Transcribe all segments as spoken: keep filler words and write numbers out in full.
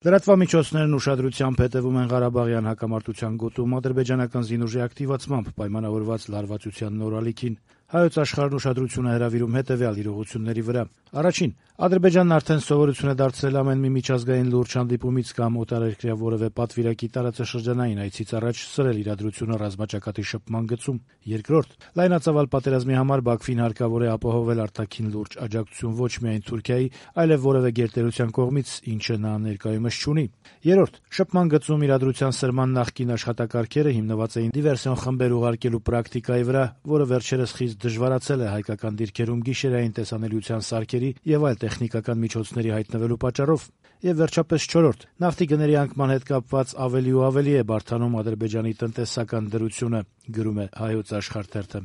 Լրատվամիջոցներն ուշադրությամբ հետևում են Ղարաբաղյան հակամարտության գոտում ադրբեջանական զինուժի ակտիվացմամբ պայմանավորված լարվածության նոր ալիքին։ Հայոց աշխարհն ուշադրություն է հրավիրում հետևյալ իրողությունների վրա. Առաջին. Ադրբեջանն արդեն սովորություն է դարձրել ամեն մի միջազգային լուրջ հանդիպումից կամ օտարերկրյա որևէ պատվիրակի տարածաշրջանային այցից առաջ սրել իրադրությունը ռազմաճակատի շփման գծում։ Երկրորդ. լայնածավալ պատերազմի համար Բաքվին հարկավոր է ապահովել արտաքին լուրջ աջակցություն ոչ միայն Թուրքիայի, այլև որևէ գերտերության կողմից, ինչը նա ներկայումս չունի։ Երրորդ. շփման գծում իրադրության սրման նախկին աշխատակարգերը հիմնված էին դիվերսիոն խմբեր ուղարկելու պրակտիկայի վրա, որը վերջերս խիստ դժվարացել է հայկական դիրքերում գիշերային տեսանելիության սարքերի եւ այլ տեխնիկական միջոցների հայտնվելու պատճառով։ Եվ վերջապես չորրորդ. նավթի գների անկման հետ կապված ավելի ու ավելի է բարդանում Ադրբեջանի տնտեսական դրությունը, գրում է Հայոց աշխարհ թերթը։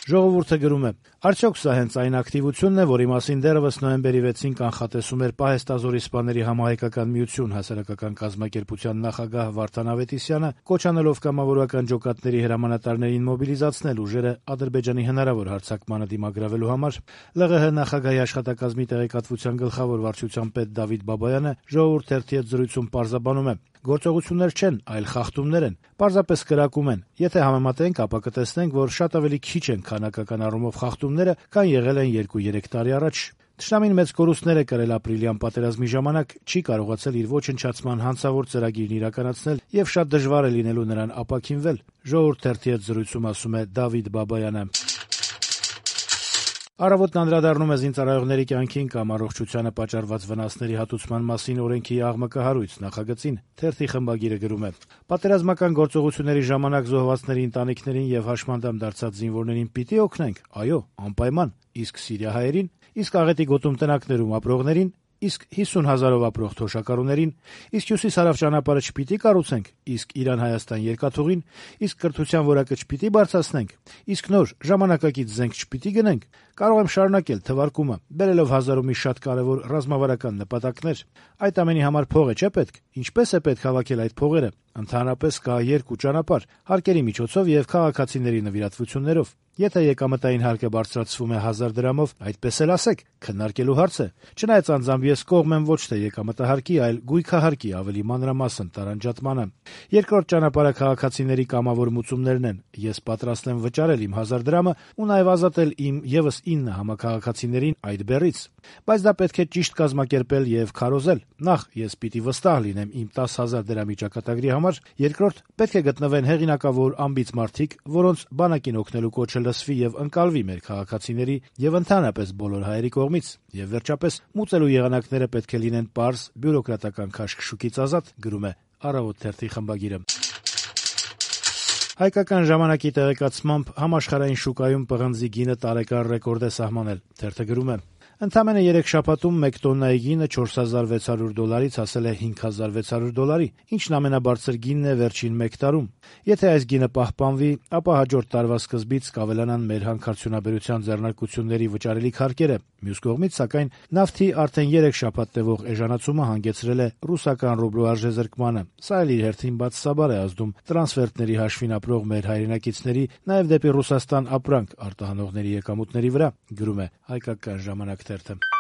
Ժողովուրդը գրում է. արդյոք սա հենց այն ակտիվությունն է, որի մասին դեռևս նոյեմբերի վեցին կանխատեսում էր Պահեստազորի սպաների համահայկական միություն հասարակական կազմակերպության նախագահ Վարդան Ավետիսյանը, կոչ անելով կամավորական ջոկատների հրամանատարներին մոբիլիզացնել ուժերը Ադրբեջանի հնարավոր հարձակմանը դիմագրավելու համար։ ԼՂՀ նախագահի աշխատակազմի տեղեկատվության գլխավոր վարչության պետ Դավիթ Բաբայանը Ժողովուրդ թերթի հետ զրույցում պարզաբանում է. գործողություններ չեն, այլ խախտումներ են, պարզապես կրակում են։ Եթե համեմատենք, ապա կտեսնենք, որ շատ ավելի քիչ են քանակական առումով խախտումները, քան եղել են երկու-երեք տարի առաջ։ Թշնամին մեծ կորուստներ է կրել ապրիլյան պատերազմի ժամանակ, չի կարողացել իր ոչնչացման հանցավոր ծրագիրն իրականացնել եւ շատ դժվար է լինելու նրան ապաքինվել։ Ժողովուրդ թերթի հետ զրույցում ասում է Դավիթ Բաբայանը։ Առավոտն անդրադառնում է զինծառայողների կյանքին կամ առողջությանը պատճառված վնասների հատուցման մասին օրենքի աղմկահարույց նախագծին։ Թերթի խմբագիրը գրում է. պատերազմական գործողությունների ժամանակ զոհվածների ընտանիքներին եւ հաշմանդամ դարձած զինվորներին պիտի օգնենք։ Այո, անպայման։ Իսկ սիրիահայերին, իսկ աղետի գոտում տնակներում ապրողներին, իսկ հիսուն հազարով ապրող թոշակառուներին, իսկ հյուսիս-հարավ ճանապարհը չպիտի կառուցենք, իսկ Իրան-Հայաստան երկաթուղին, իսկ կրթության որակը չպիտի բարձրացնենք, իսկ նոր ժամանակակից զենք չպիտի գնենք։ Կարող եմ շարունակել թվարկումը, բերելով հազար ու մի շատ կարևոր ռազմավարական նպատակներ։ Այդ ամենի համար փող է չէ պետք։ Ինչպես է պետք հավաքել այդ փողերը։ Ընդհանրապես կա երկու ճանապարհ՝ հարկերի միջոցով եւ քաղաքացիների նվիրատվություններով։ Եթե եկամտային հարկը բարձրացվում է հազար դրամով, այդպես էլ ասեք, քննարկելու հարց է։ Չնայած անձամբ ես կողմ եմ ոչ թե եկամտահարկի, այլ գույքահարկի ավելի մանրամասն տարանջատմանը։ Երկրորդ ճանապարհը քաղաքացիների կամավոր մուծումներն են։ Ես պատրաստ եմ վճարել իմ հազար դրամը ու նաեւ ազատել իմ եւս ինը համակարգացիներին այդ բեռից։ Բայց դա պետք է ճիշտ կազմակերպել եւ քարոզել։ Նախ ես պիտի վստահ լինեմ իմ տասը հազար դրամի ճակատագրի համար, երկրորդ պետք է գտնվեն հեղինակավոր ամբից մարդիկ, որոնց բանակին օգնելու կոչը լսվի եւ ընկալվի մեր քաղաքացիների եւ ընդհանրապես բոլոր հայերի կողմից։ Եվ վերջապես մուծելու եղանակները պետք է լինեն պարզ, բյուրոկրատական քաշքշուկից ազատ, գրում է Առավոտ թերթի խմբագիրը։ Հայկական ժամանակի տեղեկացմամբ համաշխարհային շուկայում պղնձի գինը տարեկան ռեկորդ է սահմանել։ Թերթը գրում է. Ընդամենը երեք շաբաթում մեկ տոննայի գինը չորս հազար վեց հարյուր դոլարից հասել է հինգ հազար վեց հարյուր դոլարի, ինչն ամենաբարձր գինն է վերջին մեկ տարում։ Եթե այս գինը պահպանվի, ապա հաջորդ տարվա սկզբից կավելանան մեր հանքարդյունաբերության ձեռնարկությունների վճարելիք հարկերը։ Մյուս կողմից, սակայն, նավթի արդեն երեք շաբաթ տևող էժանացումը հանգեցրել է ռուսական ռուբլու արժեզրկմանը։ Սա էլ իր հերթին բացասաբար է ազդում տրանսֆերտների հաշվին ապրող մեր հայրենակիցների, նաև դեպի Ռուսաստան ապրանք արտահանողների եկամուտների վրա, գրում է Հայկական ժամանակ թերթը։